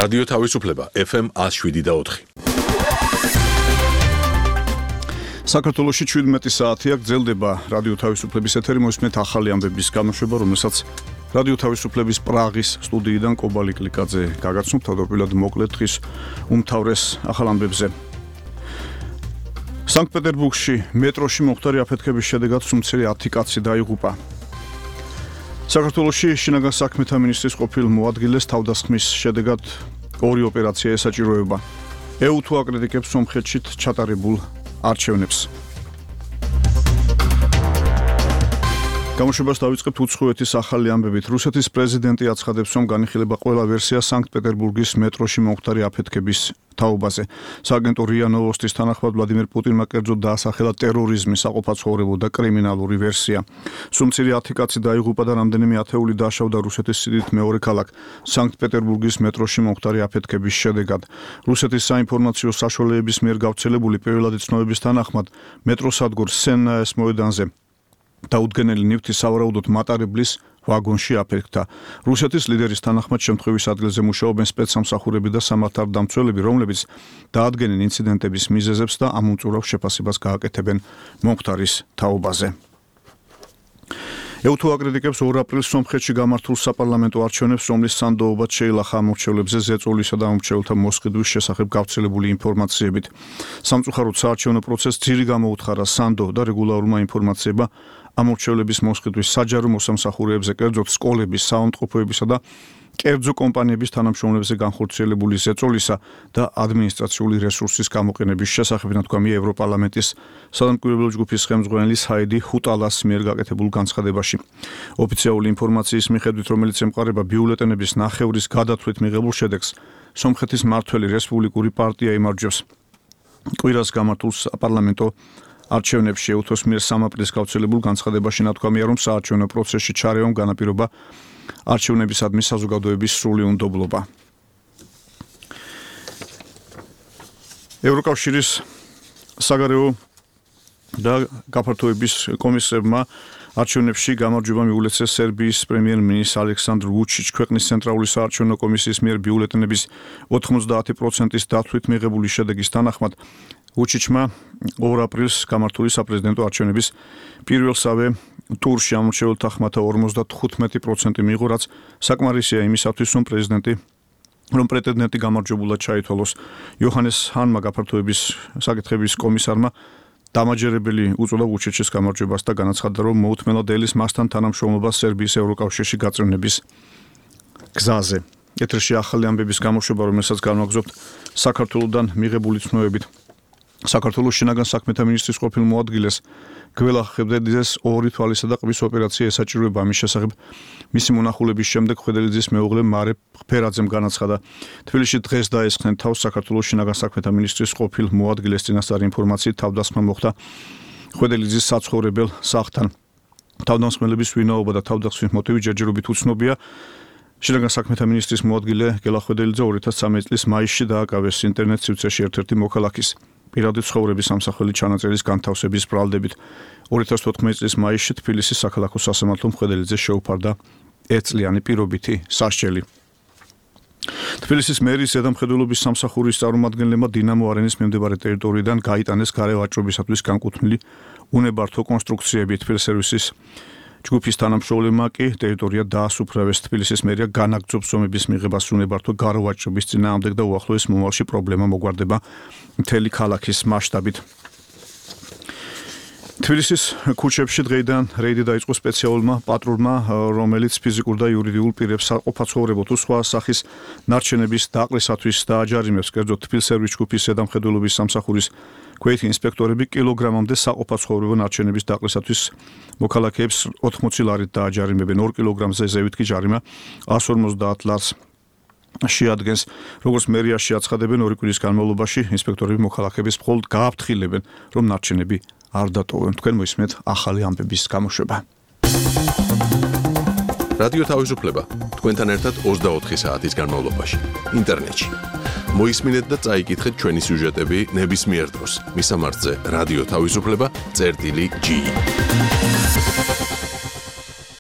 რადიო თავისუფლება FM 107.4. საქართველოში 17 საათია გრძელდება რადიო თავისუფლების ეთერი, მოსმენთ ახალი ამბების გამოშვება, რომელსაც რადიო თავისუფლების პრაღის სტუდიიდან კობალი კლიკაძე გაგაცნობთ, თავდაპირველად მოკლედ დღის უმთავრეს ახალ ამბებზე. სანქტ-პეტერბურგში მეტროში მომხდარი აფეთქების შედეგად სუმცერი 10 კაცი დაიღუპა. საქართველოში შინაგან საქმეთა მინისტრის ყოფილ მოადგილეს თავდასხმის შედეგად 2 ოპერაცია ესაჭიროება. EU-თუ აკრიტიკებს სომხეთში ჩატარებულ არჩევნებს. გამოშვებას დავიწყებთ უცხოეთის ახალი ამბებით. რუსეთის პრეზიდენტი აცხადებს, რომ განიხილება ყველა ვერსია სანქტ-პეტერბურგის მეტროში მომხდარი აფეთქების თაობაზე. სააგენტო რია ნოვოსტის თანახმად ვლადიმერ პუტინმა კერძოდ დაასახელა ტერორიზმის, საყოფაცხოვრებო და კრიმინალური ვერსია. სუმცირი 10 კაცი დაიღუპა და რამდენიმე ათეული დაშავდა რუსეთის სიდიდით მეორე ქალაქ სანქტ-პეტერბურგის მეტროში მომხდარი აფეთქების შედეგად. რუსეთის საინფორმაციო საშუალებების მიერ გავრცელებული პირველადი ცნობების თანახმად მეტროსადგურ სენნაეს მოედანზე დაუდგენელი ნივთი სავარაუდოდ მატარებლის ვაგონში აფეთქდა. რუსეთის ლიდერის თანახმად შემთხვევის ადგილზე მუშაობენ სპეცსამსახურები და სამართალდამცველები, რომლებიც დაადგენენ ინციდენტების მიზეზებს და ამ უმწურავ შეფასებას გააკეთებენ მომხდარის თაობაზე. EU-თუ აკრიტიკებს 2 აპრილს სომხეთში გამართულ საპარლამენტო არჩევნებს, რომლის სანდოობად შეილახა ამორჩევლებზე ზეწოლისა და ამორჩევლთა მოსყიდვის შესახებ გავრცელებული ინფორმაციებით. სამწუხაროდ საარჩევნო პროცესს ძირი გამოუთხარა სანდო და რეგულარულმა ინფორმაციებმა ამორჩევლების მოსყიდვის საჯარო მოსამსახურეებზე, კერძოდ სკოლების, საავადმყოფოებისა და კერძო კომპანიების თანამშრომლებზე განხორციელებული ზეწოლისა და ადმინისტრაციული რესურსის გამოყენების შესახებ, თქვა ევროპარლამენტის სადამკვირვებლო ჯგუფის ხელმძღვანელი ჰაიდი ჰუტალას მიერ გაკეთებულ განცხადებაში. ოფიციალური ინფორმაციის მიხედვით, რომელიც ემყარება ბიულეტენების ნახევრის გადათვლით მიღებულ შედეგს, სომხეთის მმართველი რესპუბლიკური პარტია იმარჯვებს. კვირას გამართულ საპარლამენტო არჩევნებში EU-ს მიერ 3 აპრილს გავრცელებულ განცხადებაში ნათქვამია, რომ საარჩევნო პროცესში ჩარევამ განაპირობა არჩევნებისადმი საზოგადოების სრული უნდობლობა. ევროკავშირის საგარეო და გაფართოების კომისარმა არჩევნებში გამარჯვება მიულეცეს სერბიის პრემიერ-მინისტრ ალექსანდრ ვუჩიჩ. ქვეყნის ცენტრალური საარჩევნო კომისიის მიერ ბიულეტენების 90%-ის დათვლით მიღებული შედეგის თანახმად ვუჩიჩმა 2 აპრილს გამართული საპრეზიდენტო არჩევნების პირველსავე ტურში ამორჩეულთა ხმათა 55% მიიღო, რაც საკმარისია იმისათვის, რომ პრეტენდენტი გამარჯვებულად ჩაითვალოს. იოჰანეს ჰანმა გაფართოების საკითხების კომისარმა დამაჯერებელი უწოდა ვუჩიჩის გამარჯვებას და განაცხადა, რომ მოუთმენლად ელის მასთან თანამშრომლობა სერბიის ევროკავშირში გაწევრების გზაზე. ეთერში ახალი ამბების გამოშვება, რომელსაც განვაგრძობთ საქართველოსდან მიღებული ცნობებით. საქართველოს შინაგან საქმეთა მინისტრის ყოფილ მოადგილეს გველა ხებდელიძეს 2 თვალისა და ყბის ოპერაცია ესაჭიროება. ამის შესახებ მისი მონახულების შემდეგ ხვედელიძის მეუღლე მარე ფერაძემ განაცხადა. თბილისში დღეს დაესხნენ თავს საქართველოს შინაგან საქმეთა მინისტრის ყოფილ მოადგილეს წინასწარ ინფორმაციით თავდასხმა მოხდა ხვედელიძის საცხოვრებელ სახლთან. თავდამსხმელების ვინაობა და თავდასხმის მოტივი ჯერჯერობით უცნობია. შინაგან საქმეთა მინისტრის მოადგილე გელა ხვედელიძე 2013 წლის მაისში დააკავეს ინტერნეტ სივრცეში ერთ-ერთი მოქალაქის პირადი ცხოვრების სამსახელი ჩანაწერის განთავსების ბრალდებით. 2014 წლის მაისში თბილისის საქალაქო სასამართლომ ხვედელიძეს შეუფარდა 1 წლიანი პირობითი სასჯელი. თბილისის მერის ზედამხედველობის სამსახურის წარმომადგენლებმა დინამო არენის მიმდებარე ტერიტორიიდან გაიტანეს გარე ვაჭრობისათვის განკუთვნილი უნებართო კონსტრუქციები. თბილისერვისის ჯგუფის თანამშრომლებმა კი ტერიტორია დაასუფრავეს. თბილისის მერია განაგრძობს ომების მიღებას უნებართო გარე ვაჭრობის წინააღმდეგ და უახლოეს მომავალში პრობლემა მოგვარდება მთელი ქალაქის მასშტაბით. თბილისის ქუჩებში დღეიდან რეიდი დაიწყო სპეციალურმა პატრულმა, რომელიც ფიზიკურ და იურიდიულ პირებს საყოფაცხოვრებო თუ სხვა სახის ნარჩენების დაყრისათვის დააჯარიმებს. კერძოდ თბილისერვის ჯგუფის ზედამხედველობის სამსახურის ქვეითი ინსპექტორები კილოგრამამდე საყოფაცხოვრებო ნარჩენების დაყრისათვის მოქალაქეებს 80 ლარით დააჯარიმებენ. 2 კილოგრამზე ზევით კი ჯარიმა 150 ლარს შეადგენს. როგორც მერიაში აცხადებენ, 2 კვირის განმავლობაში ინსპექტორები მოქალაქეებს მხოლოდ გააფრთხილებენ, რომ ნარჩენები არ დატოვონ. თქვენ მოისმენთ ახალი ამბების გამოშვება. რადიო თავისუფლება თქვენთან ერთად 24 საათის განმავლობაში ინტერნეტში. მოისმინეთ და წაიკითხეთ ჩვენი სიუჟეტები ნებისმიერ დროს. მისამართზე რადიო თავისუფლება წერტილი G.